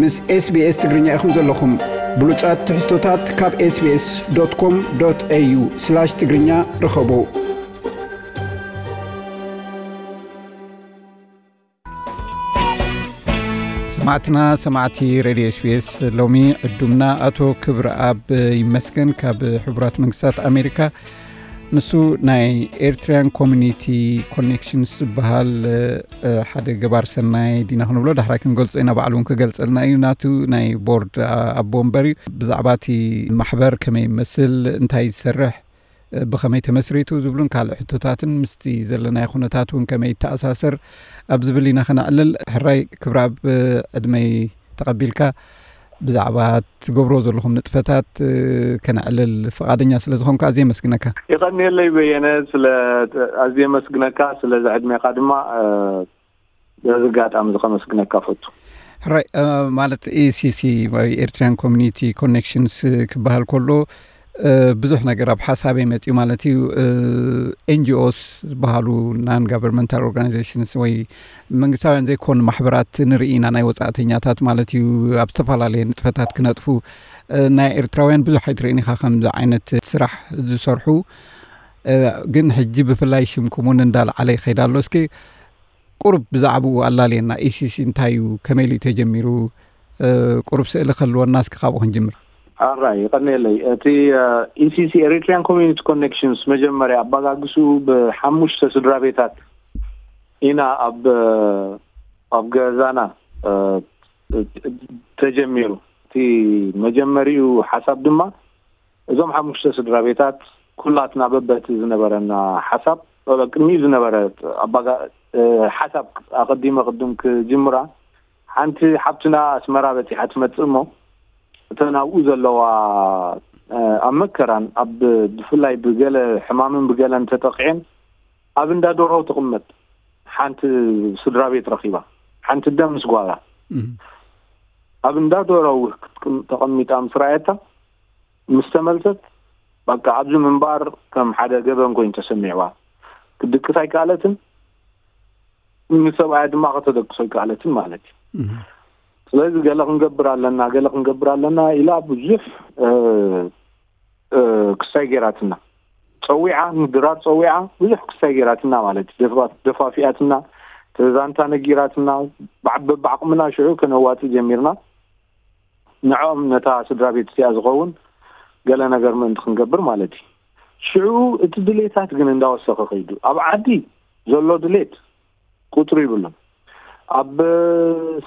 ምስ SBS ትግርኛ ኢኹም ዘለኹም። ብሉጻት ትሕዝቶታት ካብ SBS.com.au/ትግርኛ ርኸቡ። ሰማዕትና፣ ሰማዕቲ ሬድዮ SBS፣ ሎሚ ዕዱምና ኣቶ ክብረኣብ ይመስገን ካብ ሕቡራት መንግስታት ኣሜሪካ። ንሱ ናይ ኤርትራያን ኮሚኒቲ ኮኔክሽንስ ዝበሃል፣ እ፣ ሓደ ገባር ሰናይ ዲና ክንብሎ፣ ዳሕራይ ክንገልጾ ኢና፣ ባዕሉ እውን ክገልጸልና እዩ። ናቱ ናይ ቦርድ፣ አ-፣ ኣቦ ወንበር እዩ። ብዛዕባ እቲ ማሕበር ከመይ ይመስል፣ እንታይ ዝሰርሕ፣ እ፣ ብኸመይ ተመስሪቱ ዝብሉን ካልእ ሕቶታትን ምስቲ ዘለናዮ ኩነታት እውን ከመይ ይተኣሳሰር ኣብ ዝብል ኢና ከነዕልል። ሕራይ ክብረኣብ፣ ዕድመይ ተቐቢልካ ብዛዕባ ትገብሮ ዘለኹም ንጥፈታት፣ እ፣ ከነዕልል ፍቓደኛ ስለ ዝኾንካ ኣዝየ የመስግነካ። ይቐንየለይ በየነ፣ ስለ ኣዝየ የመስግነካ፣ ስለዚ ዕድሜኻ ድማ፣ እ፣ በዚ ኣጋጣሚ እዚ ከመስግነካ ፈቱ። ሕራይ፣ እ፣ ማለት፣ ኢ ሲ ሲ ወይ ኤርትራን ኮሚኒቲ ኮኔክሽንስ ክበሃል ከሎ፣ እ፣ ብዙሕ ነገር ኣብ ሓሳበይ መጽዩ ማለት እዩ። እ፣ ኤን ጂ ኦስ ዝበሃሉ፣ ናን ጋቨርንመንታል ኦርጋናይዜሽንስ ወይ መንግስታውያን ዘይኮኑ ማሕበራት ንርኢ ኢና፣ ናይ ወጻእተኛታት ማለት እዩ፣ ኣብ ዝተፈላለየ ንጥፈታት ክነጥፉ። እ፣ ናይ ኤርትራውያን ብዙሕ ኣይትርእን ኢኻ ከምዚ ዓይነት ስራሕ ዝሰርሑ። እ፣ ግን ሕጂ ብፍላይ ሽምኩም እውን እንዳልዓለ ይኸይድ ኣሎ። እስኪ ቁሩብ ብዛዕባኡ ኣላልየና። ኢ ሲ ሲ እንታይ እዩ? ከመይ ኢሉ እዩ ተጀሚሩ? እ፣ ቁሩብ ስእሊ ክህልወና እስኪ ካብኡ ክንጅምር። ኣራይ፣ ይቐንየለይ። እቲ፣ እ፣ ኢ ሲ ሲ፣ ኤሪትሪያን ኮሚኒቲ ኮኔክሽንስ፣ መጀመርያ ኣባጋግስኡ ብሓሙሽተ ስድራ ቤታት ኢና ኣብ፣ እ፣ ኣብ ገዛና፣ እ፣ ተጀሚሩ። እቲ መጀመሪኡ ሓሳብ ድማ እዞም ሓሙሽተ ስድራ ቤታት ኩላትና በበቲ ዝነበረና ሓሳብ፣ ቅድሚኡ ዝነበረ ኣባጋ-፣ እ፣ ሓሳብ ኣቐዲመ ቅድም ክጅምራ፣ ሓንቲ ሓብትና ኣስመራ በጺሓ ትመጽእ እሞ፣ እተን ኣብኡ ዘለዋ፣ እ፣ ኣብ መከራን ኣብ፣ ብፍላይ ብገለ ሕማምን ብገለን ተጠቂዐን ኣብ እንዳ ዶሮ ትቕመጥ ሓንቲ ስድራ ቤት ረኺባ፣ ሓንቲ ኣደ ምስ ጓላ። እም። ኣብ እንዳ ዶሮ ውህ ክትቅም-፣ ተቐሚጣ ምስ ረኣየታ፣ ምስ ተመልሰት፣ በቃ ኣብዚ ምንባር ከም ሓደ ገበን ኮይኑ ተሰሚዕዋ። ክትድቅስ ኣይከኣለትን፣ ንሰብኣያ ድማ ከተደቅሶ ኣይከኣለትን ማለት እዩ። እም። ስለዚ ገለ ክንገብር ኣለና፣ ገለ ክንገብር ኣለና ኢላ ብዙሕ፣ እ፣ እ፣ ክሳይ ጌራትና። ጸዊዓ፣ ንድራር ጸዊዓ፣ ብዙሕ ክሳይ ጌራትና ማለት እዩ። ደፋ-፣ ደፋፊኣትና፣ ተዛንታ ነጊራትና፣ ብዓ-፣ በብዓቕምና ሽዑ ከነዋጽእ ጀሚርና። ንዕኦም፣ ነታ ስድራ ቤት እቲኣ ዝኸውን ገለ ነገር ምእንቲ ክንገብር ማለት እዩ። ሽዑ እቲ ድሌታት ግን እንዳወሰኸ ከይዱ። ኣብ ዓዲ ዘሎ ድሌት ቁጽሪ ይብሉን። ኣብ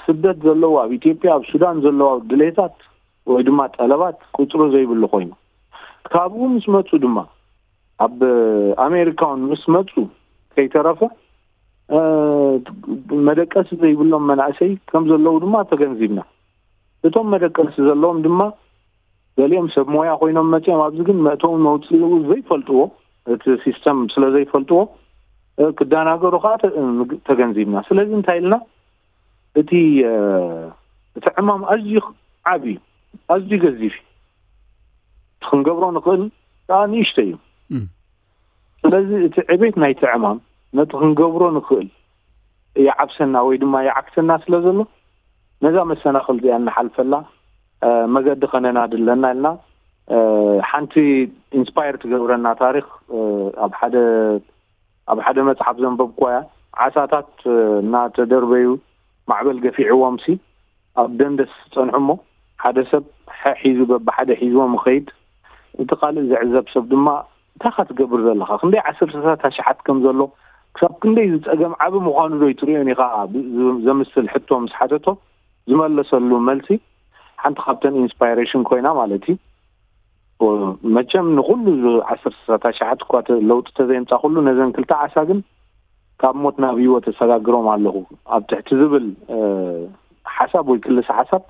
ስደት ዘለዉ፣ ኣብ ኢትዮጵያ፣ ኣብ ሱዳን ዘለዉ ድሌታት ወይ ድማ ጠለባት ቁጽሪ ዘይብሉ ኮይኑ፣ ካብኡ ምስ መጹ ድማ፣ ኣብ ኣሜሪካ እውን ምስ መጹ ከይተረፈ፣ እ፣ መደቀሲ ዘይብሎም መናእሰይ ከም ዘለዉ ድማ ተገንዚብና። እቶም መደቀሲ ዘለዎም ድማ፣ ገሊኦም ሰብ ሞያ ኮይኖም መጺኦም፣ ኣብዚ ግን መእተውን መውጽኡ ዘይፈልጥዎ፣ እቲ ሲስተም ስለ ዘይፈልጥዎ፣ እ፣ ክደናገሩ ከኣ ተ-፣ እ፣ ተገንዚብና። ስለዚ እንታይ ኢልና፣ እቲ፣ እ፣ እቲ ዕማም ኣዝዩ ዓቢ እዩ፣ ኣዝዩ ገዚፍ እዩ። እቲ ክንገብሮ ንኽእል ከኣ ንእሽቶ እዩ። እም። ስለዚ እቲ ዕቤት ናይቲ ዕማም ነቲ ክንገብሮ ንኽእል ይዓብሰና ወይ ድማ ይዓክሰና ስለ ዘሎ፣ ነዛ መሰናኽል እዚኣ እንሓልፈላ፣ እ፣ መገዲ ከነናድለና ኢልና፣ እ፣ ሓንቲ ኢንስፓየር ትገብረና ታሪኽ፣ እ፣ ኣብ ሓደ፣ ኣብ ሓደ መጽሓፍ ዘንበብኩዋ እያ። ዓሳታት፣ እ፣ እናተደርበዩ ማዕበል ገፊዕዎምሲ፣ ኣብ ደንደስ ጸንሑ እሞ፣ ሓደ ሰብ ሐ ሒዙ በብሓደ ሒዝዎም ይኸይድ። እቲ ካልእ ዝዕዘብ ሰብ ድማ፣ "እንታይ ኢኻ ትገብር ዘለኻ? ክንደይ ዓሰርተታት ኣሽሓት ከም ዘሎ፣ ክሳብ ክንደይ እዚ ጸገም ዓቢ ምዃኑ ዶ ኣይትርእዮን ኢኻ?" ብ-፣ ዝ-፣ ዘምስል ሕቶ ምስ ሓተቶ፣ ዝመለሰሉ መልሲ ሓንቲ ካብተን ኢንስፓይሬሽን ኮይና ማለት እዩ። መቸም ንኹሉ ዝ-፣ ዓሰርተታት ኣሽሓት እኳ ተ-፣ ለውጢ ተዘየምጻኹሉ፣ ነዘን ክልተ ዓሳ ግን ካብ ሞት ናብ ህይወት እሰጋግሮም ኣለኹ ኣብ ትሕቲ ዝብል፣ እ፣ ሓሳብ ወይ ክልሰ ሓሳብ፣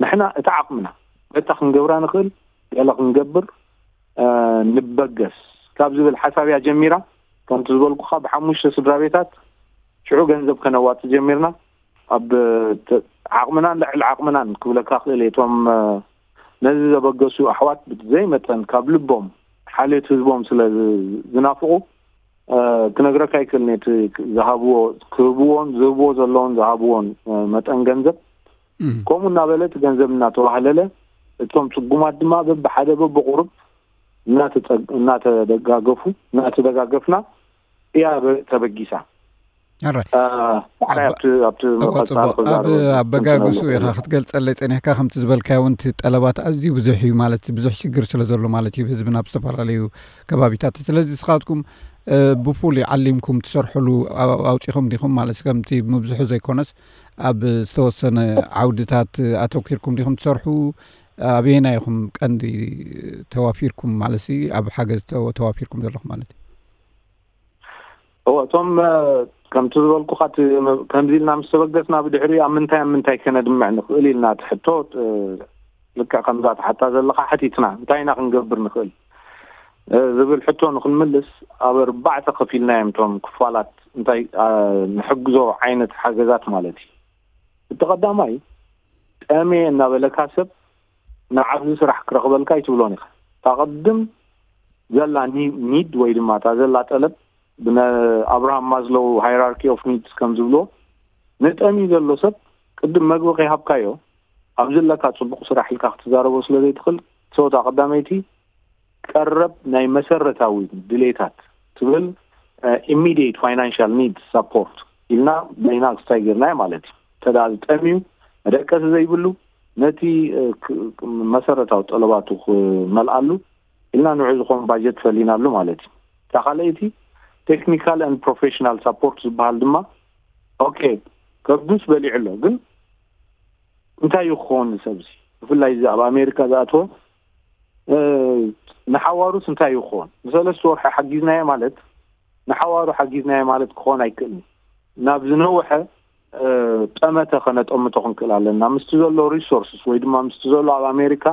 ንሕና እቲ ዓቕምና፣ በታ ክንገብራ ንኽእል፣ ገለ ክንገብር፣ እ፣ ንበገስ ካብ ዝብል ሓሳብ እያ ጀሚራ። ከምቲ ዝበልኩኻ፣ ብሓሙሽተ ስድራ ቤታት ሽዑ ገንዘብ ከነዋጽእ ጀሚርና። ኣብ ተ-፣ ዓቕምናን ልዕሊ ዓቕምናን ክብለካ ክእል እየ። እቶም፣ እ፣ ነዚ ዘበገሱ ኣሕዋት ብዘይ መጠን ካብ ልቦም ሓልዮት ህዝቦም ስለ ዝ-፣ ዝናፍቑ፣ እ፣ ክነግረካ ኣይክእልን እየ። እቲ ዝሃብዎ፣ ክህብዎን ዝህብዎ ዘለውን ዝሃብዎን፣ እ፣ መጠን ገንዘብ ከምኡ እናበለ እቲ ገንዘብ እናተዋህለለ፣ እቶም ጽጉማት ድማ በብሓደ በብቑሩብ እናተጸ- እናተደጋገፉ እናተደጋገፍና እያ በ- ተበጊሳ። ኣራይ ዳሕራይ ኣብቲ ኣብቲ እወ መቐጻሊ ጽቡቅ ኣብ ክዛረበሉ ኣበጋግሱ ክዛረበሉ ኢኻ ክትገልጸለይ ጸኒሕካ። ከምቲ ዝበልካዮ እውን እቲ ጠለባት ኣዝዩ ብዙሕ እዩ፣ ማለት ብዙሕ ሽግር ስለ ዘሎ ማለት እዩ ህዝብና ኣብ ዝተፈላለዩ ከባቢታት። ስለዚ ንስኻትኩም ብፉሉይ ዓሊምኩም ትሰርሕሉ ኣውፂኹም ዲኹም ማለት ከምቲ ምብዝሑ ዘይኮነስ ኣብ ዝተወሰነ ዓውድታት ኣተኪርኩም ዲኹም ትሰርሑ? ኣበየናይ ኢኹም ቀንዲ ተዋፊርኩም ማለት ኣብ ሓገዝ ተዋፊርኩም ዘለኹም ማለት እዩ? እወ እቶም ከምቲ ዝበልኩኻ ከምዚ ኢልና ምስ ተበገስና ብድሕሪ ኣብ ምንታይ ኣብ ምንታይ ከነድምዕ ንኽእል ኢልና ትሕቶ ልክዕ ከምዛ ትሓታ ዘለኻ ሓቲትና እንታይ ኢና ክንገብር ንኽእል ዝብል ሕቶ ንክንምልስ ኣብ ኣርባዕተ ከፊልና እዮም እቶም ክፋላት እንታይ ንሕግዞ ዓይነት ሓገዛት ማለት እዩ። እቲ ቀዳማይ ጠሜ እናበለካ ሰብ ንዓብዚ ስራሕ ክረኽበልካ ኣይትብሎን ኢኻ። እታ ቅድም ዘላ ኒድ ወይ ድማ እታ ዘላ ጠለብ ብኣብርሃም ማዝሎው ሃይራርኪ ኦፍ ኒድስ ከም ዝብልዎ ንጠሚ ዘሎ ሰብ ቅድም መግቢ ከይሃብካዮ ኣብዚ ኣለካ ፅቡቅ ስራሕ ኢልካ ክትዛረቦ ስለ ዘይትኽእል ሰውታ ቀዳመይቲ ቀረብ ናይ መሰረታዊ ድሌታት ትብል immediate financial needs support ኢልና በይና ክስታይ ጌርናዮ ማለት እዩ። እንተ ዝጠምዩ መደቀሲ ዘይብሉ ነቲ መሰረታዊ ጠለባቱ ክመልኣሉ ኢልና ንዑ ዝኾን ባጀት ፈሊናሉ ማለት እዩ። እታ ካልኣይቲ technical and professional support ዝበሃል ድማ ኦኬ ከብዱስ በሊዑ ኣሎ ግን እንታይ እዩ ክኸውን ንሰብዚ ብፍላይ እዚ ኣብ ኣሜሪካ ዝኣተወ ንሓዋሩስ እንታይ እዩ ክኸውን ንሰለስተ ወርሒ ሓጊዝናዮ ማለት ንሓዋሩ ሓጊዝናዮ ማለት ክኸውን ኣይክእልን ናብ ዝነውሐ ጠመተ ከነጠምቶ ክንክእል ኣለና ምስቲ ዘሎ resources ወይ ድማ ምስቲ ዘሎ ኣብ ኣሜሪካ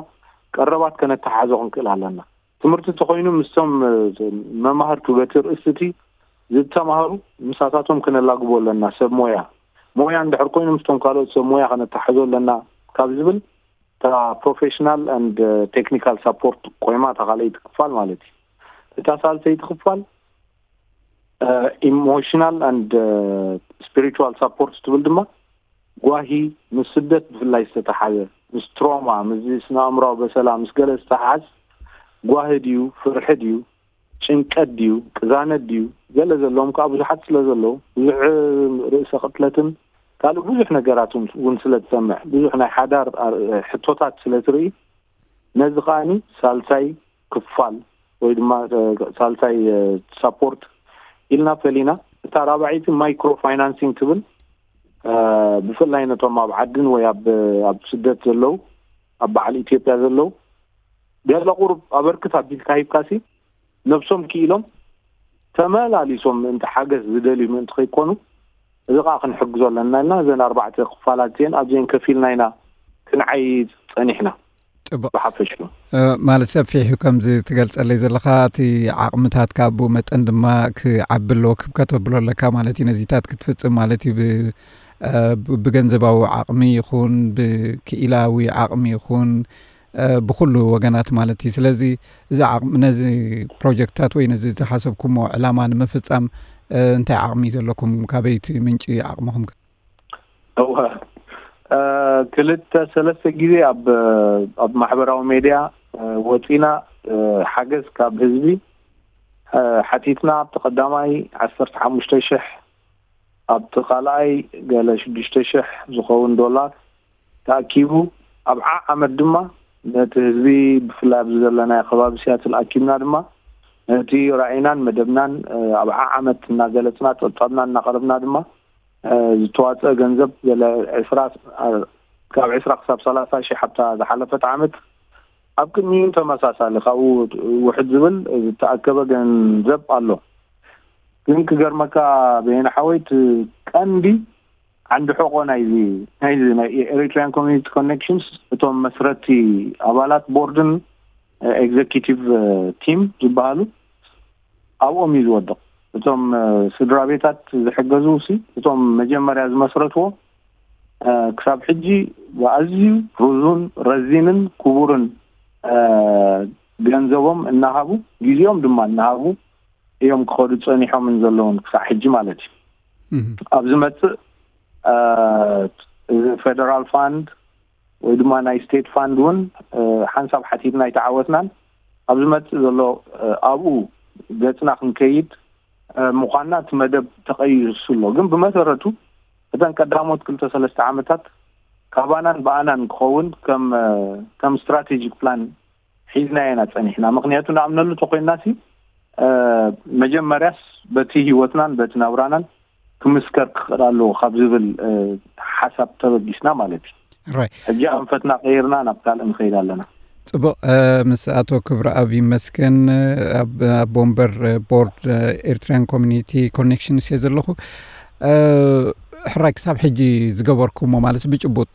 ቀረባት ከነተሓዞ ክንክእል ኣለና ትምህርቲ እንተኮይኑ ምስቶም መማህርቱ በቲ ርእስቲ ዝተማሃሩ ምሳታቶም ክነላግቦ ኣለና ሰብ ሞያ ሞያ እንድሕር ኮይኑ ምስቶም ካልኦት ሰብ ሞያ ከነተሓዞ ኣለና ካብ ዝብል እታ professional and technical support ቆይማ እታ ካልኣይቲ ክፋል ማለት እዩ እታ ሳልሰይቲ ክፋል emotional and spiritual support ትብል ድማ ጓሂ ምስ ስደት ብፍላይ ዝተተሓዘ ምስ ትሮማ ምስ ስነ ኣእምራዊ በሰላ ምስ ገለ ዝተሓዝ ጓሂ ድዩ ፍርሒ ድዩ ጭንቀት ድዩ ቅዛነት ድዩ ገለ ዘለዎም ከዓ ብዙሓት ስለ ዘለዉ ብዙሕ ርእሰ ቅትለትን ካልእ ብዙሕ ነገራት እውን ስለ ትሰምዕ ብዙሕ ናይ ሓዳር ሕቶታት ስለ ትርኢ ነዚ ከዓኒ ሳልሳይ ክፋል ወይ ድማ ሳልሳይ support ኢልና ፈሊና እታ ራብዐይቲ micro financing ትብል ብፍላይ ነቶም ኣብ ዓድን ወይ ኣብ ስደት ዘለዉ ኣብ በዓል ኢትዮጵያ ዘለዉ ገለ ቁሩብ ኣበርክት ኣቢልካ ሂብካሲ ነብሶም ክኢሎም ተመላሊሶም ምእንቲ ሓገዝ ዝደልዩ ምእንቲ ከይኮኑ እዚ ከዓ ክንሕግዞ ኣለና ኢልና እዘን ኣርባዕተ ክፋላት እዚአን ኣብዚአን ከፊልና ኢና ክንዓይ ፀኒሕና ፅቡቅ ብሓፈሽኡ ማለት ሰፊሕ እዩ ከምዚ ትገልፀለይ ዘለካ እቲ ዓቅምታት ካብኡ መጠን ድማ ክዓቢ ኣለዎ ክብ ከተብሎ ኣለካ ማለት እዩ ነዚታት ክትፍፅም ማለት እዩ ብገንዘባዊ ዓቅሚ ይኹን ብክኢላዊ ዓቅሚ ይኹን ብኩሉ ወገናት ማለት እዩ ስለዚ እዚ ዓቅሚ ነዚ ፕሮጀክትታት ወይ ነዚ ዝተሓሰብኩሞ ዕላማ ንምፍፃም እንታይ ዓቅሚ እዩ ዘለኩም ካበይቲ ምንጪ ዓቅምኹም እወ ክልተ ሰለስተ ግዜ ኣብ ኣብ ማሕበራዊ ሜድያ ወፂና ሓገዝ ካብ ህዝቢ ሓቲትና ኣብቲ ቀዳማይ ዓሰርተ ሓሙሽተ ሽሕ ኣብቲ ካልኣይ ገለ ሽዱሽተ ሽሕ ዝኸውን ዶላር ተኣኪቡ ኣብ ዓዓመት ድማ ነቲ ህዝቢ ብፍላይ ኣብዚ ዘለናዮ ከባቢ ሲያትል ኣኪብና ድማ ነቲ ራእይናን መደብናን ኣብ ዓዓመት እናገለፅና ፀብፃብና እናቀረብና ድማ ዝተዋፀአ ገንዘብ ገለ ዕስራ ካብ ዕስራ ክሳብ ሰላሳ ሽሕ ኣብታ ዝሓለፈት ዓመት ኣብ ቅድሚኡ ተመሳሳሊ ካብኡ ውሕድ ዝብል ዝተኣከበ ገንዘብ ኣሎ ግን ክገርመካ በየነ ሓወይ እቲ ቀንዲ ዓንዲ ሕቆ ናይዚ ናይዚ ናይ Eritrean Community Connections እቶም መስረቲ ኣባላት ቦርድን executive team ዝበሃሉ ኣብኦም እዩ ዝወድቕ እቶም ስድራ ቤታት ዝሕገዙ ሲ እቶም መጀመርያ ዝመስረትዎ ክሳብ ሕጂ ብኣዝዩ ርዙን ረዚንን ክቡርን ገንዘቦም እናሃቡ ግዜኦም ድማ እናሃቡ እዮም ክኸዱ ፀኒሖምን ዘለውን ክሳዕ ሕጂ ማለት እዩ ኣብ ዝመፅእ እዚ federal fund ወይ ድማ ናይ ስቴት ፋንድ እውን ሓንሳብ ሓቲትና ኣይተዓወትናን። ኣብ ዝመፅእ ዘሎ ኣብኡ ገፅና ክንከይድ ምዃንና እቲ መደብ ተቐይሱ ኣሎ። ግን ብመሰረቱ እተን ቀዳሞት ክልተ ሰለስተ ዓመታት ካባናን ብኣናን ክኸውን ከም ስትራቴጂክ ፕላን ሒዝና ኢና ጸኒሕና። ምኽንያቱ ንኣምነሉ ተኮይንና ሲ መጀመርያስ በቲ ህይወትናን በቲ ናብራናን ክምስከር ክኽእል ኣለዎ ካብ ዝብል ሓሳብ ተበጊስና ማለት እዩ። ሕጂ ኣንፈትና ቀይርና ናብ ካልእ ንኸይድ ኣለና። ጽቡቕ። ምስ ኣቶ ክብረኣብ ይመስገን፣ ኣቦ ወንበር ቦርድ ኤርትራያን ኮሚኒቲ ኮኔክሽንስ እየ ዘለኹ። ሕራይ ክሳብ ሕጂ ዝገበርኩሞ ማለት ብጭቡጥ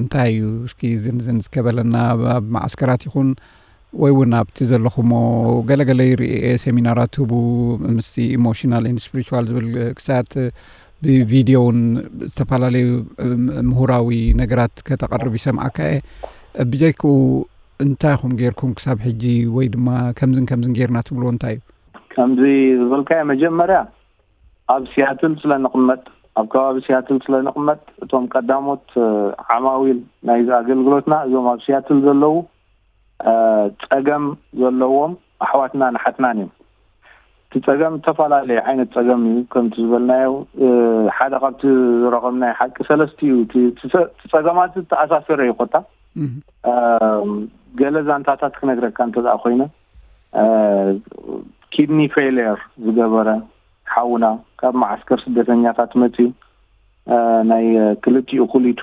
እንታይ እዩ? እስኪ ዝንዝን እስከበለና፣ ኣብ መዓስከራት ይኹን ወይ እውን ኣብቲ ዘለኹሞ ገለገለ ይርኢ፣ ሴሚናራት ህቡ፣ ምስ ኢሞሽናል ን ስፕሪቹዋል ዝብል ክሳት ብቪድዮ እውን ዝተፈላለዩ ምሁራዊ ነገራት ከተቐርብ ይሰምዓካ እየ። ብጀይክኡ እንታይ ኢኹም ጌርኩም ክሳብ ሕጂ? ወይ ድማ ከምዝን ከምዝን ጌርና ትብልዎ እንታይ እዩ? ከምዚ ዝበልካዮ መጀመርያ ኣብ ሲያትል ስለ ንቕመጥ፣ ኣብ ከባቢ ሲያትል ስለ ንቕመጥ እቶም ቀዳሞት ዓማዊል ናይዚ ኣገልግሎትና እዞም ኣብ ሲያትል ዘለዉ ጸገም ዘለዎም ኣሕዋትናን ኣሓትናን እዮም። እቲ ጸገም ዝተፈላለየ ዓይነት ጸገም እዩ። ከምቲ ዝበልናዮ ሓደ ካብቲ ዝረኸብናዮ ሓቂ ሰለስቲኡ እቲ ጸገማት ዝተኣሳሰረ እዩ። ኮታ ገለ ዛንታታት ክነግረካ እንተ ደኣ ኮይነ፣ ኪድኒ ፌይልየር ዝገበረ ሓውና ካብ መዓስከር ስደተኛታት መፅዩ፣ ናይ ክልቲኡ ኩሊቱ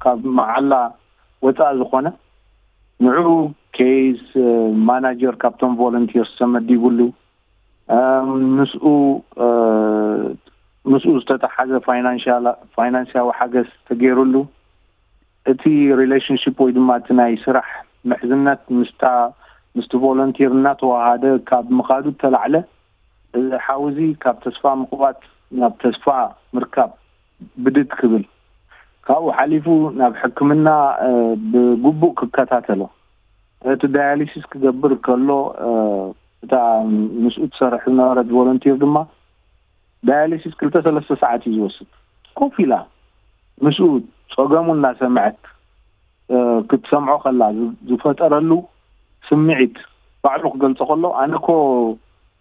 ካብ መዓላ ወፃእ ዝኾነ፣ ንዑ ኬይስ ማናጀር ካብቶም ቮለንቲርስ ተመዲቡሉ፣ ምስኡ ምስኡ ዝተተሓዘ ፋይናንሻዊ ሓገዝ ተገይሩሉ፣ እቲ ሪሌሽንሽፕ ወይ ድማ እቲ ናይ ስራሕ ምሕዝነት ምስታ ምስቲ ቮለንቲር እናተዋሃደ ካብ ምኻዱ እተላዕለ፣ እዚ ሓው እዚ ካብ ተስፋ ምቑባጥ ናብ ተስፋ ምርካብ ብድግ ክብል፣ ካብኡ ሓሊፉ ናብ ሕክምና ብግቡእ ክከታተሎ፣ እቲ ዳያሊሲስ ክገብር ከሎ፣ እታ ምስኡ ትሰርሕ ዝነበረት ቮለንቲር ድማ ዳያሊሲስ ክልተ ሰለስተ ሰዓት እዩ ዝወስድ። ኮፍ ኢላ ምስኡ ጸገሙ እናሰምዐት ክትሰምዖ ከላ ዝፈጠረሉ ስምዒት ባዕሉ ክገልጾ ከሎ፣ ኣነ እኮ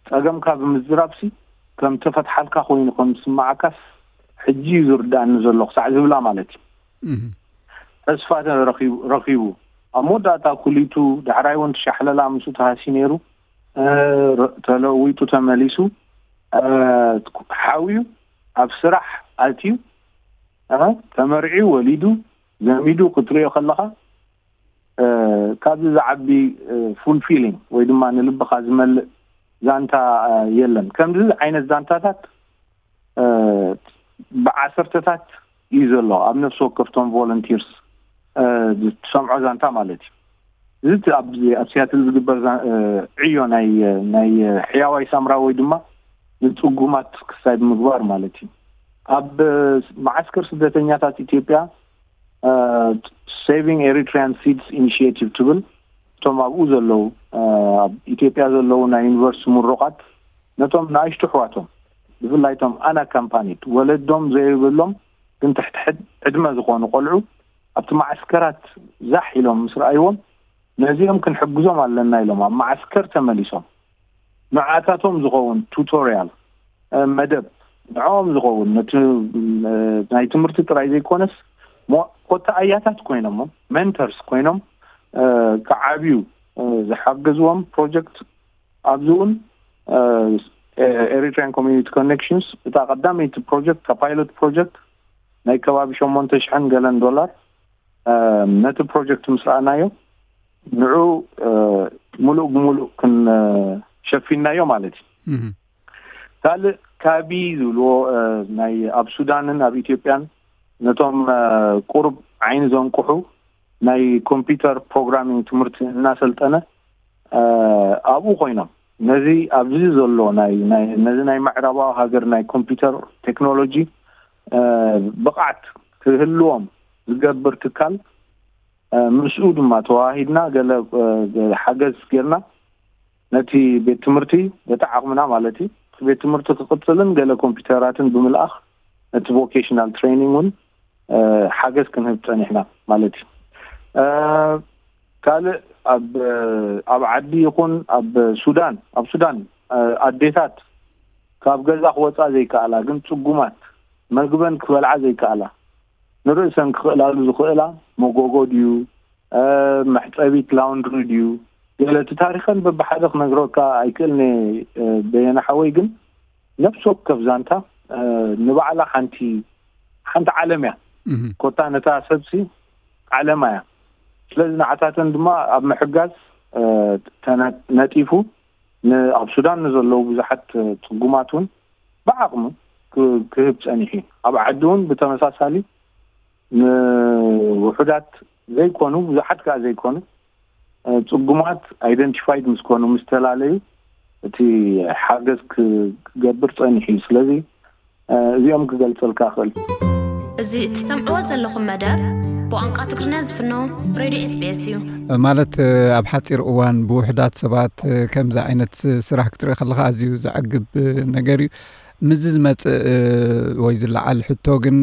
ጸገምካ ብምዝራብ ሲ ከም ተፈትሓልካ ኮይኑ ከም ዝስምዓካስ ሕጂ እዩ ዝርድኣኒ ዘሎ ክሳዕ ዝብላ ማለት እዩ። ተስፋ ረኺቡ ኣብ መወዳእታ ኩሊቱ ዳሕራይ እውን ትሻሕለላ ምስኡ ተሃስዩ ነይሩ። ተለዊጡ ተመሊሱ ሓውዩ ኣብ ስራሕ ኣትዩ ተመርዒ ወሊዱ ዘሚዱ ክትሪኦ ከለኻ ካብዚ ዝዓቢ ፉልፊሊንግ ወይ ድማ ንልብኻ ዝመልእ ዛንታ የለን። ከምዚ ዓይነት ዛንታታት ብዓሰርተታት እዩ ዘሎ ኣብ ነፍሲ ወከፍቶም ቮለንቲርስ ዝሰምዖ ዛንታ ማለት እዩ። እዚ ኣብ ኣብ ሲያትል ዝግበር ዕዮ ናይ ናይ ሕያዋይ ሳምራዊ ወይ ድማ ንፅጉማት ክሳይ ብምግባር ማለት እዩ። ኣብ መዓስከር ስደተኛታት ኢትዮጵያ Saving Eritrean Seeds Initiative ትብል እቶም ኣብኡ ዘለዉ ኣብ ኢትዮጵያ ዘለዉ ናይ ዩኒቨርሲቲ ምሩቓት ነቶም ንኣሽቱ ኣሕዋቶም ብፍላይ እቶም ኣናካምፓኒድ ወለዶም ዘይብሎም ግን ትሕቲ ዕድመ ዝኾኑ ቆልዑ ኣብቲ መዓስከራት ዛሕ ኢሎም ምስ ረኣይዎም ነዚኦም ክንሕግዞም ኣለና ኢሎም ኣብ መዓስከር ተመሊሶም ንዓታቶም ዝኸውን ቱቶርያል መደብ ንዕኦም ዝኸውን ነቲ ናይ ትምህርቲ ጥራይ ዘይኮነስ ኮታ ኣያታት ኮይኖም ሜንተርስ ኮይኖም ክዓብዩ ዝሓገዝዎም ፕሮጀክት ኣብዚ እውን ኤሪትሪያን ኮሚኒቲ ኮኔክሽንስ እታ ቀዳመይቲ ፕሮጀክት እታ ፓይሎት ፕሮጀክት ናይ ከባቢ ሸሞንተ ሽሕን ገለን ዶላር ነቲ ፕሮጀክት ምስ ረኣናዮ ንዑ ሙሉእ ብሙሉእ ክንሸፊናዮ ማለት እዩ። ካልእ ካቢ ዝብልዎ ናይ ኣብ ሱዳንን ኣብ ኢትዮጵያን ነቶም ቁሩብ ዓይኒ ዘንቁሑ ናይ ኮምፒውተር ፕሮግራሚንግ ትምህርቲ እናሰልጠነ ኣብኡ ኮይኖም ነዚ ኣብዚ ዘሎ ናይ ነዚ ናይ ምዕራባዊ ሃገር ናይ ኮምፒውተር ቴክኖሎጂ ብቕዓት ክህልዎም ዝገብር ትካል ምስኡ ድማ ተዋሂድና ገለ ሓገዝ ጌርና ነቲ ቤት ትምህርቲ በቲ ዓቕምና ማለት እዩ ቤት ትምህርቲ ክቕፅልን ገለ ኮምፒውተራትን ብምልኣኽ ነቲ ቮኬሽናል ትሬኒንግ እውን ሓገዝ ክንህብ ጸኒሕና ማለት እዩ። ካልእ ኣብ ኣብ ዓዲ ይኹን ኣብ ሱዳን፣ ኣብ ሱዳን ኣዴታት ካብ ገዛ ክወፃ ዘይከኣላ፣ ግን ፅጉማት፣ መግበን ክበልዓ ዘይከኣላ፣ ንርእሰን ክኽእላሉ ዝኽእላ መጎጎ ድዩ፣ መሕፀቢት ላውንድሪ ድዩ፣ ገለ እቲ ታሪኸን በብሓደ ክነግረካ ኣይክእልነ። በየነ ሓወይ፣ ግን ነፍሲ ወከፍ ዛንታ ንባዕላ ሓንቲ ሓንቲ ዓለም እያ። ኮታ ነታ ሰብሲ ዓለማ እያ። ስለዚ ንዓታተን ድማ ኣብ ምሕጋዝ ነጢፉ፣ ኣብ ሱዳን ንዘለዉ ብዙሓት ፅጉማት እውን ብዓቕሙ ክህብ ፀኒሑ እዩ። ኣብ ዓዲ እውን ብተመሳሳሊ ንውሑዳት ዘይኮኑ፣ ብዙሓት ከዓ ዘይኮኑ ፅጉማት ኣይደንቲፋይድ ምስ ኮኑ፣ ምስ ተላለዩ፣ እቲ ሓገዝ ክገብር ፀኒሑ እዩ። ስለዚ እዚኦም ክገልፀልካ ክእል። እዚ እትሰምዕዎ ዘለኹም መደብ ብቋንቋ ትግርኛ ዝፍኖ ሬድዮ ኤስቢኤስ እዩ። ማለት ኣብ ሓፂር እዋን ብውሕዳት ሰባት ከምዚ ዓይነት ስራሕ ክትርኢ ከለካ ኣዝዩ ዘዕግብ ነገር እዩ። ምስዚ ዝመፅእ ወይ ዝለዓል ሕቶ ግን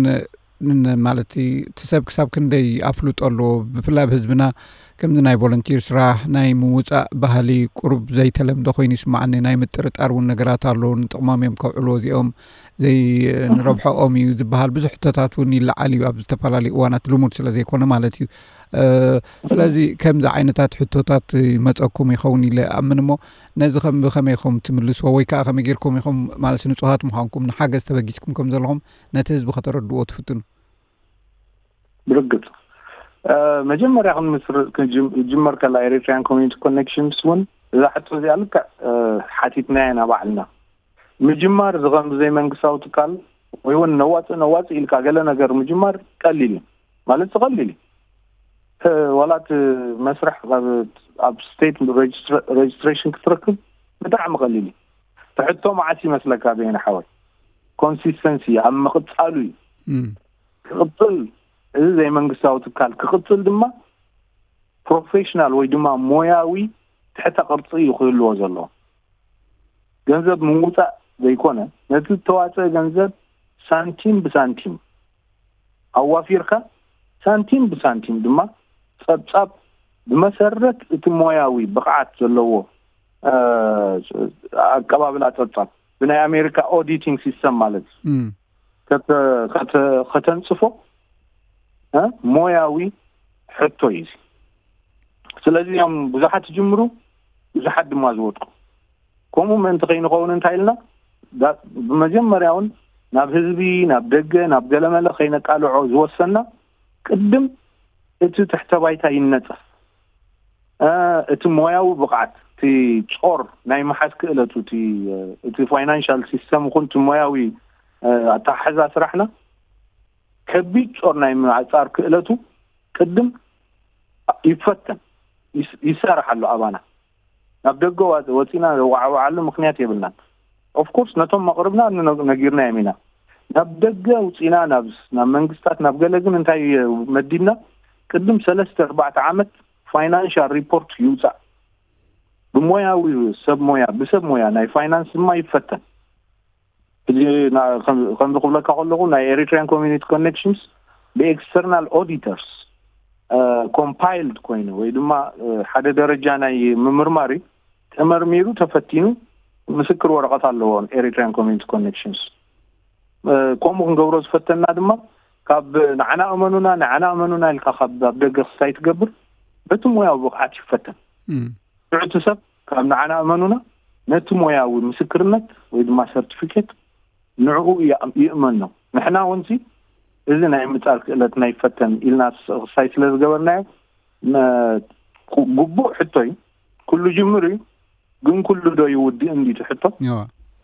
ማለት እቲ ሰብ ክሳብ ክንደይ ኣፍልጦ ኣለዎ? ብፍላይ ኣብ ህዝብና ከምዚ ናይ ቮለንቲር ስራሕ ናይ ምውፃእ ባህሊ ቁሩብ ዘይተለምደ ኮይኑ ይስማዓኒ። ናይ ምጥርጣር እውን ነገራት ኣሎ። ንጥቕሞም እዮም ከውዕልዎ እዚኦም፣ ዘይንረብሖኦም እዩ ዝበሃል ብዙሕ ሕቶታት እውን ይለዓል እዩ ኣብ ዝተፈላለዩ እዋናት፣ ልሙድ ስለ ዘይኮነ ማለት እዩ። ስለዚ ከምዚ ዓይነታት ሕቶታት ይመፀኩም ይኸውን ኢለ ኣምን። እሞ ነዚ ከም ብኸመይ ኢኹም ትምልስዎ ወይ ከዓ ከመይ ጌርኩም ኢኹም ማለት ንፁሃት ምዃንኩም ንሓገዝ ተበጊስኩም ከም ዘለኹም ነቲ ህዝቢ ከተረድዎ ትፍትኑ? ብርግፅ መጀመርያ ክንምስር ክጅመር ከላ ኤሪትሪያን ኮሚኒቲ ኮኔክሽንስ እውን እዛ ሕቶ እዚኣ ልክዕ ሓቲትናያ ኢና ባዕልና። ምጅማር እዚ ከም ዘይመንግስታዊ ትካል ወይ እውን ነዋፅእ ነዋፅእ ኢልካ ገለ ነገር ምጅማር ቀሊል እዩ ማለት ቀሊል እዩ። ዋላ እቲ መስርሕ ኣብ ስቴት ሬጅስትሬሽን ክትረክብ ብጣዕሚ ቀሊል እዩ። ትሕቶ መዓስ ይመስለካ በየነ ሓወይ? ኮንሲስተንሲ ኣብ ምቕፃሉ እዩ። ክቕፅል፣ እዚ ዘይመንግስታዊ ትካል ክቕፅል ድማ ፕሮፌሽናል ወይ ድማ ሞያዊ ትሕተ ቅርፂ እዩ ክህልዎ ዘለዎ። ገንዘብ ምውፃእ ዘይኮነ፣ ነቲ ዝተዋፀአ ገንዘብ ሳንቲም ብሳንቲም ኣዋፊርካ፣ ሳንቲም ብሳንቲም ድማ ፀብፃብ ብመሰረት እቲ ሞያዊ ብቕዓት ዘለዎ ኣቀባብላ ፀብፃብ ብናይ ኣሜሪካ ኦዲቲንግ ሲስተም ማለት እዩ ከተንፅፎ ሞያዊ ሕቶ እዩ። ስለዚ እዮም ብዙሓት ዝጅምሩ፣ ብዙሓት ድማ ዝወድቁ። ከምኡ ምእንቲ ከይንኸውን እንታይ ኢልና ብመጀመርያ እውን ናብ ህዝቢ፣ ናብ ደገ፣ ናብ ገለመለ ከይነቃልዖ ዝወሰና ቅድም እቲ ትሕተ ባይታ ይነፀፍ። እቲ ሞያዊ ብቕዓት፣ እቲ ጾር ናይ ምሓዝ ክእለቱ፣ እቲ ፋይናንሻል ሲስተም ይኹን እቲ ሞያዊ ኣተሓሕዛ ስራሕና ከቢድ ጾር ናይ ምዕጻር ክእለቱ ቅድም ይፈተን፣ ይሰራሕ ኣሎ ኣባና። ናብ ደገ ወፂና ዘዋዕዋዓሉ ምክንያት የብልናን። ኦፍኮርስ ነቶም መቕርብና ነጊርና እዮም ኢና። ናብ ደገ ውፂና ናብ መንግስታት ናብ ገለ ግን እንታይ መዲብና? ቅድም ሰለስተ ኣርባዕተ ዓመት ፋይናንሻል ሪፖርት ይውፃእ። ብሞያዊ ሰብ ሞያ ብሰብ ሞያ ናይ ፋይናንስ ድማ ይፈተን። ሕጂ ከምዚ ክብለካ ከለኹ ናይ ኤሪትሪያን ኮሚኒቲ ኮኔክሽንስ ብኤክስተርናል ኦዲተርስ ኮምፓይልድ ኮይኑ ወይ ድማ ሓደ ደረጃ ናይ ምምርማር እዩ። ተመርሚሩ ተፈቲኑ ምስክር ወረቐት ኣለዎ ኤሪትሪያን ኮሚኒቲ ኮኔክሽንስ። ከምኡ ክንገብሮ ዝፈተና ድማ ካብ ንዓና እመኑና ንዓና እመኑና ኢልካ ካብ ኣብ ደገ ክስታይ ትገብር በቲ ሞያዊ ብቕዓት ይፈተን። ሽዑ እቲ ሰብ ካብ ንዓና እመኑና ነቲ ሞያዊ ምስክርነት ወይ ድማ ሰርቲፊኬት ንዕኡ ይእመኖ። ንሕና እውን እዚ ናይ ምጻር ክእለት ናይ ፈተን ኢልና ክስታይ ስለ ዝገበርናዮ ግቡእ ሕቶ እዩ። ኩሉ ጅምር እዩ፣ ግን ኩሉ ዶ ይውድእ እንዲ እቲ ሕቶ?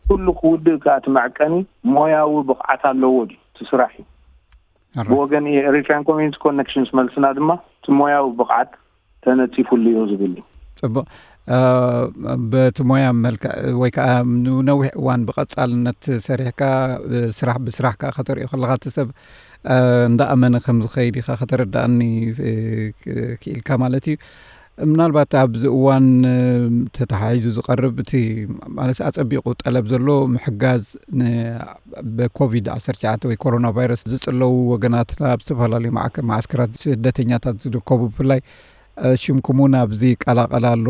ኩሉ ክውድእ ከኣ እቲ መዕቀኒ ሞያዊ ብቕዓት ኣለዎ ድዩ? እቲ ስራሕ እዩ። ብወገን ኤሪትሪያን ኮሚኒቲ ኮኔክሽንስ መልስና ድማ እቲ ሞያዊ ብቕዓት ተነፂፉሉ እዩ ዝብል እዩ። ፅቡቕ። በቲ ሞያ መልክዕ ወይ ከዓ ንነዊሕ እዋን ብቐፃልነት ሰሪሕካ ስራሕ ብስራሕ ከዓ ከተርእዮ ከለካ እቲ ሰብ እንዳኣመነ ከም ዝኸይድ ኢካ ከተረዳእኒ ክኢልካ ማለት እዩ። ምናልባት ኣብዚ እዋን ተተሓሒዙ ዝቐርብ እቲ ማለት ኣጸቢቑ ጠለብ ዘሎ ምሕጋዝ ብኮቪድ ዓሰርተ ትሽዓተ ወይ ኮሮና ቫይረስ ዝጽለዉ ወገናትና ኣብ ዝተፈላለዩ መዓስከራት ስደተኛታት ዝርከቡ ብፍላይ ሽምኩም እውን ኣብዚ ይቀላቐል ኣሎ።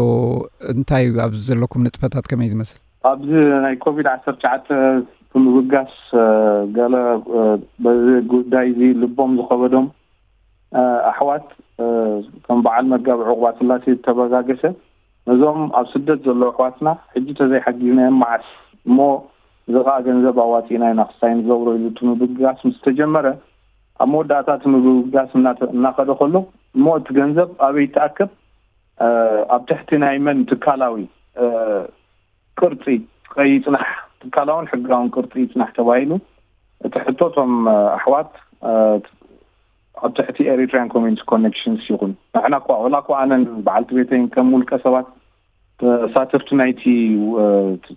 እንታይ እዩ ኣብዚ ዘለኩም ንጥፈታት ከመይ ዝመስል? ኣብዚ ናይ ኮቪድ ዓሰርተ ትሽዓተ ብምብጋስ ገለ በዚ ጉዳይ እዚ ልቦም ዝኸበዶም ኣሕዋት ከም በዓል መጋቢ ዕቑባ ስላሴ ዝተበጋገሰ ነዞም ኣብ ስደት ዘለዉ ኣሕዋትና ሕጂ ተዘይሓጊዝናዮም መዓስ እሞ እዚ ኸዓ ገንዘብ ኣዋፂእና ኢና ክሳይ ንገብሮ ኢሉ እቲ ምብጋስ ምስ ተጀመረ ኣብ መወዳእታ እቲ ምብጋስ እናኸደ ከሎ እሞ እቲ ገንዘብ ኣበይ ይተኣከብ ኣብ ትሕቲ ናይ መን ትካላዊ ቅርፂ ይፅናሕ ትካላውን ሕጋውን ቅርፂ ይፅናሕ ተባሂሉ እቲ ሕቶ እቶም ኣሕዋት ኣብ ትሕቲ ኤሪትሪያን ኮሚኒቲ ኮኔክሽንስ ይኹን ንሕና እኳ ወላ እኳ ኣነን በዓልቲ ቤተይን ከም ውልቀ ሰባት ተሳተፍቲ ናይቲ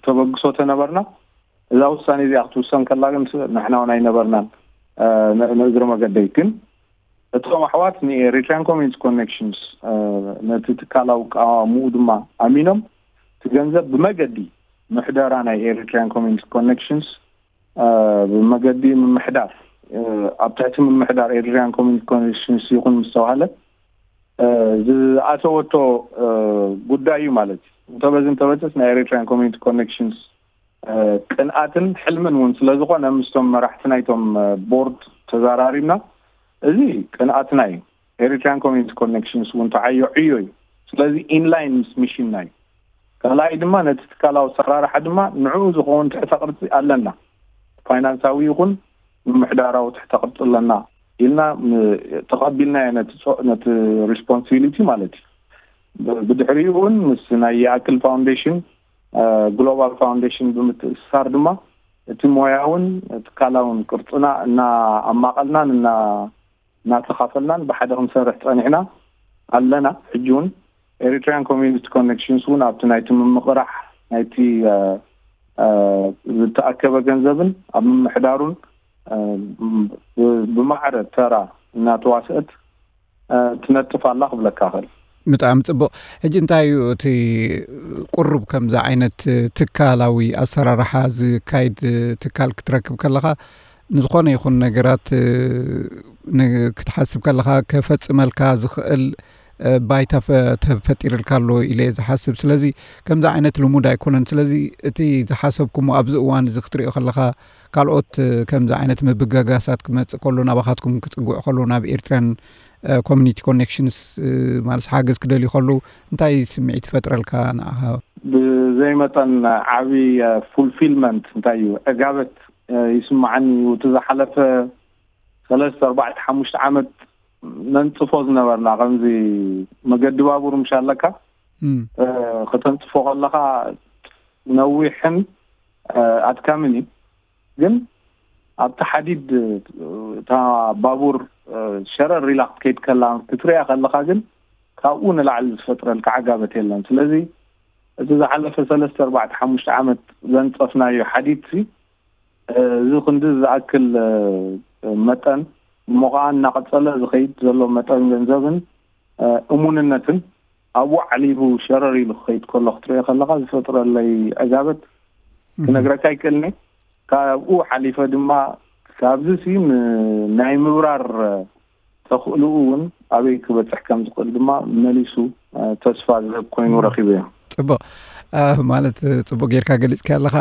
ተበግሶ ተነበርና እዛ ውሳኔ እዚኣ ክትውሰን ከላ ግን ንሕና እውን ኣይነበርናን ንእግሪ መገደይ ግን እቶም ኣሕዋት ንኤሪትሪያን ኮሚኒቲ ኮኔክሽንስ ነቲ ትካላዊ ቃዋምኡ ድማ ኣሚኖም እቲ ገንዘብ ብመገዲ ምሕደራ ናይ ኤሪትሪያን ኮሚኒቲ ኮኔክሽንስ ብመገዲ ምምሕዳር ኣብ ትሕቲ ምምሕዳር ኤሪትሪያን ኮሚኒቲ ኮኔክሽንስ ይኹን ምስ ተባሃለ ዝኣተወቶ ጉዳይ እዩ ማለት እዩ። እንተበዚ እንተበፅስ ናይ ኤሪትሪያን ኮሚኒቲ ኮኔክሽንስ ቅንኣትን ሕልምን እውን ስለ ዝኾነ ምስቶም መራሕቲ ናይቶም ቦርድ ተዘራሪብና እዚ ቅንኣትና እዩ። ኤሪትሪያን ኮሚኒቲ ኮኔክሽንስ እውን ተዓዮ ዕዮ እዩ። ስለዚ ኢንላይን ምስ ሚሽንና እዩ። ካልኣይ ድማ ነቲ ትካላዊ ኣሰራርሓ ድማ ንዕኡ ዝኸውን ትሕተ ቅርፂ ኣለና። ፋይናንሳዊ ይኹን ምምሕዳራዊ ትሕተ ቅርፂ ኣለና ኢልና ተቐቢልናዮ ነቲ ሪስፖንሲቢሊቲ ማለት እዩ። ብድሕሪኡ እውን ምስ ናይ ይኣክል ፋውንዴሽን ግሎባል ፋውንዴሽን ብምትእስሳር ድማ እቲ ሞያውን ትካላውን ቅርፅና እናኣማቐልናን እናተኻፈልናን ብሓደ ክንሰርሕ ፀኒሕና ኣለና። ሕጂ እውን ኤሪትሪያን ኮሚኒቲ ኮኔክሽንስ እውን ኣብቲ ናይቲ ምምቕራሕ ናይቲ ዝተኣከበ ገንዘብን ኣብ ምምሕዳሩን ብማዕረ ተራ እናተዋስአት ትነጥፍ ኣላ ክብለካ ክእል። ብጣዕሚ ፅቡቕ። ሕጂ እንታይ እዩ እቲ ቁሩብ ከምዚ ዓይነት ትካላዊ ኣሰራርሓ ዝካይድ ትካል ክትረክብ ከለኻ ንዝኾነ ይኹን ነገራት ክትሓስብ ከለኻ ከፈፅመልካ ዝኽእል ባይታ ተፈጢርልካ ኣሎ ኢለ ዝሓስብ። ስለዚ ከምዚ ዓይነት ልሙድ ኣይኮነን። ስለዚ እቲ ዝሓሰብኩሞ ኣብዚ እዋን እዚ ክትሪኦ ከለኻ ካልኦት ከምዚ ዓይነት ምብጋጋሳት ክመፅእ ከሎ ናባኻትኩም ክፅጉዕ ከሎ ናብ ኤርትራን ኮሚኒቲ ኮኔክሽንስ ማለት ሓገዝ ክደልዩ ከለዉ እንታይ ስምዒት ይፈጥረልካ ንዓኻ? ብዘይ መጠን ዓብዪ ፉልፊልመንት እንታይ እዩ ዕጋበት ይስማዓኒ እዩ። እቲ ዝሓለፈ ሰለስተ ኣርባዕተ ሓሙሽተ ዓመት ነንፅፎ ዝነበርና ከምዚ መገዲ ባቡር ምሽ ኣለካ ከተንፅፎ ከለካ ነዊሕን ኣድካምን እዩ። ግን ኣብቲ ሓዲድ እታ ባቡር ሸረር ኢላ ክትከይድ ከላ ክትሪኣ ከለካ ግን ካብኡ ንላዕሊ ዝፈጥረልካ ዓጋበት የለን። ስለዚ እቲ ዝሓለፈ ሰለስተ ኣርባዕተ ሓሙሽተ ዓመት ዘንፀፍናዮ ሓዲድ እዚ ክንዲ ዝኣክል መጠን እሞ ከዓ እናቐፀለ ዝኸይድ ዘሎ መጠን ገንዘብን እሙንነትን ኣብኡ ዓሊቡ ሸረር ኢሉ ክኸይድ ከሎ ክትሪኦ ከለካ ዝፈጥረለይ ዕጋበት ክነግረካ ኣይክእልኒ። ካብኡ ሓሊፈ ድማ ካብዚ ሲ ናይ ምብራር ተኽእልኡ እውን ኣበይ ክበፅሕ ከም ዝኽእል ድማ መሊሱ ተስፋ ዝህብ ኮይኑ ረኺበዮ። ፅቡቕ ማለት ፅቡቕ ጌርካ ገሊፅካ ኣለኻ።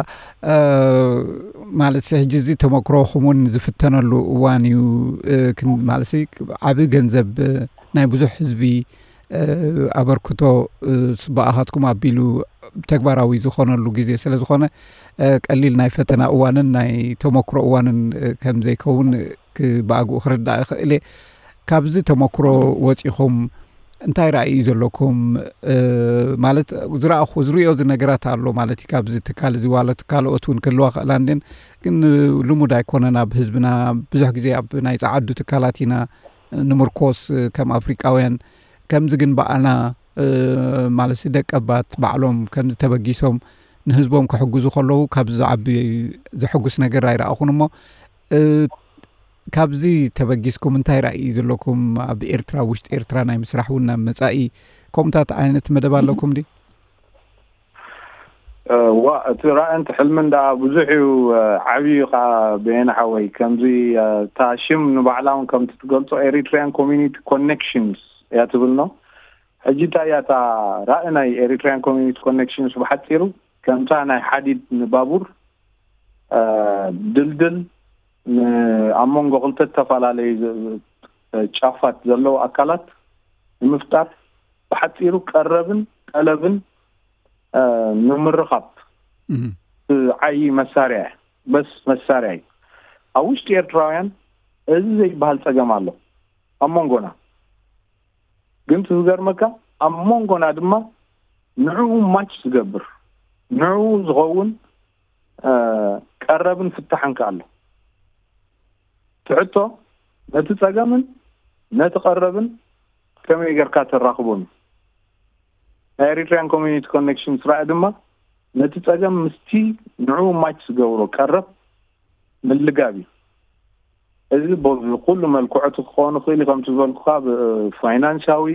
ማለት ሕጂ እዚ ተመክሮኹም እውን ዝፍተነሉ እዋን እዩ። ማለት ዓብ ገንዘብ ናይ ብዙሕ ህዝቢ ኣበርክቶ ብኣኻትኩም ኣቢሉ ተግባራዊ ዝኾነሉ ግዜ ስለ ዝኾነ ቀሊል ናይ ፈተና እዋንን ናይ ተመክሮ እዋንን ከም ዘይከውን ብኣግኡ ክርዳእ ይኽእል እየ። ካብዚ ተመክሮ ወፂኹም እንታይ ራእይ እዩ ዘለኩም? ማለት ዝረእኹ ዝሪኦ ነገራት ኣሎ ማለት እዩ። ካብዚ ትካል እዚ ዋለት ካልኦት እውን ክህልዋ ክእላ እንድን ግን ልሙድ ኣይኮነን ኣብ ህዝብና ብዙሕ ግዜ ኣብ ናይ ፀዓዱ ትካላት ኢና ንምርኮስ ከም ኣፍሪቃውያን ከምዚ ግን በዓልና ማለት ደቀባት ባዕሎም ከምዚ ተበጊሶም ንህዝቦም ክሕግዙ ከለዉ ካብዚ ዝዓቢ ዘሐጉስ ነገር ኣይረኣኹን እሞ ካብዚ ተበጊስኩም እንታይ ራእይ እዩ ዘለኩም? ኣብ ኤርትራ፣ ውሽጢ ኤርትራ ናይ ምስራሕ እውን ናብ መጻኢ ከምኡታት ዓይነት መደብ ኣለኩም ድዩ? ዋ፣ እቲ ራእንት ሕልምን ደኣ ብዙሕ እዩ። ዓብዩ ከዓ በየነ ሓወይ፣ ከምዚ እታ ሽም ንባዕላ እውን ከምቲ ትገልጾ ኤሪትሪያን ኮሚኒቲ ኮኔክሽንስ እያ ትብል ነው። ሕጂ እንታይ እያ እታ ራእ ናይ ኤሪትሪያን ኮሚኒቲ ኮኔክሽንስ? ብሓፂሩ ከምታ ናይ ሓዲድ ንባቡር ድልድል ኣብ መንጎ ክልተ ዝተፈላለዩ ጫፋት ዘለዉ ኣካላት ንምፍጣር፣ ብሓፂሩ ቀረብን ጠለብን ንምርኻብ ዓይ መሳርያ፣ በስ መሳርያ እዩ። ኣብ ውሽጢ ኤርትራውያን እዚ ዘይበሃል ፀገም ኣሎ ኣብ መንጎና። ግን ትዝገርመካ፣ ኣብ መንጎና ድማ ንዕኡ ማች ዝገብር፣ ንዕኡ ዝኸውን ቀረብን ፍታሕን ከ ኣሎ። ትሕቶ፣ ነቲ ጸገምን ነቲ ቀረብን ከመይ ጌርካ ተራኽቦም? ናይ ኤሪትሪያን ኮሚኒቲ ኮኔክሽንስ ራኢ ድማ ነቲ ጸገም ምስቲ ንዕኡ ማች ዝገብሮ ቀረብ ምልጋብ እዩ። እዚ በዚ ኩሉ መልክዑ እቲ ክኸውን ይኽእል እዩ፣ ከምቲ ዝበልኩኻ፣ ብፋይናንሳዊ፣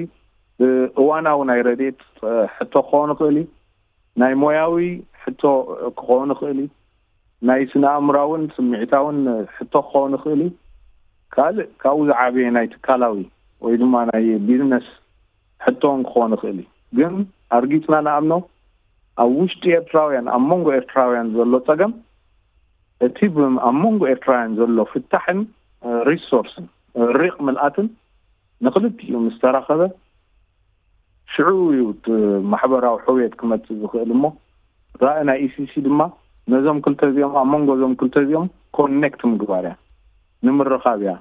ብእዋናዊ ናይ ረድኤት ሕቶ ክኸውን ይኽእል እዩ፣ ናይ ሞያዊ ሕቶ ክኸውን ይኽእል እዩ፣ ናይ ስነ ኣእምራውን ስምዒታውን ሕቶ ክኸውን ይኽእል እዩ። ካልእ ካብኡ ዝዓበየ ናይ ትካላዊ ወይ ድማ ናይ ቢዝነስ ሕቶ እውን ክኸውን ይኽእል እዩ። ግን ኣርጊጽና ንኣምኖ፣ ኣብ ውሽጢ ኤርትራውያን፣ ኣብ መንጎ ኤርትራውያን ዘሎ ጸገም፣ እቲ ብ-፣ ኣብ መንጎ ኤርትራውያን ዘሎ ፍታሕን ሪሶርስን ሪቕ ምልኣትን ንክልቲኡ ምስ ተራኸበ፣ ሽዑ እዩ እቲ ማሕበራዊ ሕውየት ክመጽእ ዝኽእል። እሞ ራኢ ናይ ኢሲሲ ድማ ነዞም ክልተ እዚኦም፣ ኣብ መንጎ እዞም ክልተ እዚኦም ኮኔክት ምግባር እያ፣ ንምርኻብ እያ።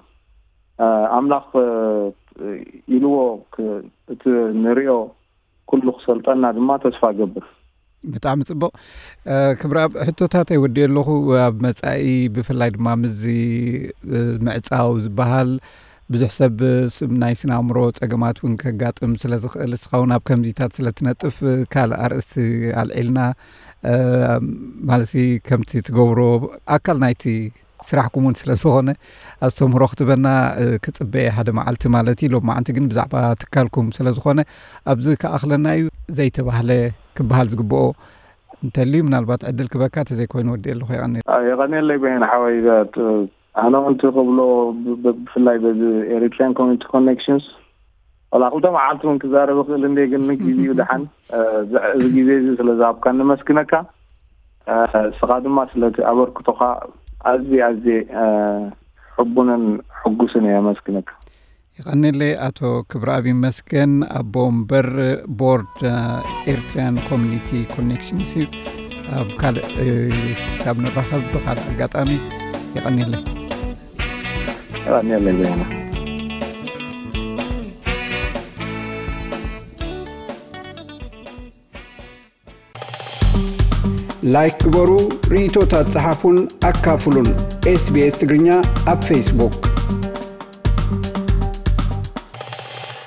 ኣምላኽ ኢልዎ እቲ ንሪኦ ኩሉ ክሰልጠና ድማ ተስፋ ገብር። ብጣዕሚ ጽቡቕ። ክብረኣብ፣ ሕቶታት ኣይወዲእ ኣለኹ። ኣብ መጻኢ ብፍላይ ድማ ምስዚ ምዕጻው ዝበሃል ብዙሕ ሰብ ናይ ስነ ኣእምሮ ጸገማት እውን ከጋጥም ስለ ዝኽእል፣ እስኻ እውን ኣብ ከምዚታት ስለ ትነጥፍ ካልእ ኣርእስቲ ኣልዒልና፣ ማለት ከምቲ ትገብሮ ኣካል ናይቲ ስራሕኩም እውን ስለ ዝኾነ፣ ኣስተምህሮ ክትበና ክጽበየ ሓደ መዓልቲ ማለት እዩ። ሎማዓንቲ ግን ብዛዕባ ትካልኩም ስለ ዝኾነ ኣብዚ ክኣኽለና እዩ። ዘይተባህለ ክበሃል ዝግብኦ እንተልዩ ምናልባት ዕድል ክበካ፣ ተዘይኮይኑ ወዲ ኣለኹ። የቐኒ። የቐንየለይ በይን ሓወይ። ኣነ እውን ክብሎ፣ ብፍላይ በዚ ኤሪትሪያን ኮሚኒቲ ኮኔክሽንስ፣ ዋላ ክልተ መዓልቲ እውን ክዛረብ እኽእል እንደ፣ ግን ግዜኡ ደሓን፣ እዚ ግዜ እዚ ስለ ዝሃብካ ንመስግነካ። እስኻ ድማ ስለቲ ኣበርክቶኻ ኣዝየ ኣዝየ ሕቡንን ሕጉስን እየ። ኣመስግነካ። የቐንየለይ ኣቶ ክብረኣብ ይመስገን፣ ኣቦ ወንበር ቦርድ ኤርትሪያን ኮሚኒቲ ኮኔክሽንስ። ኣብ ካልእ ክሳብ ንራኸብ ብኻልእ ኣጋጣሚ። የቐንየለይ። የቐንየለይ በይነ። ላይክ ግበሩ፣ ርእይቶታት ጸሓፉን ኣካፍሉን። ኤስቢኤስ ትግርኛ ኣብ ፌስቡክ።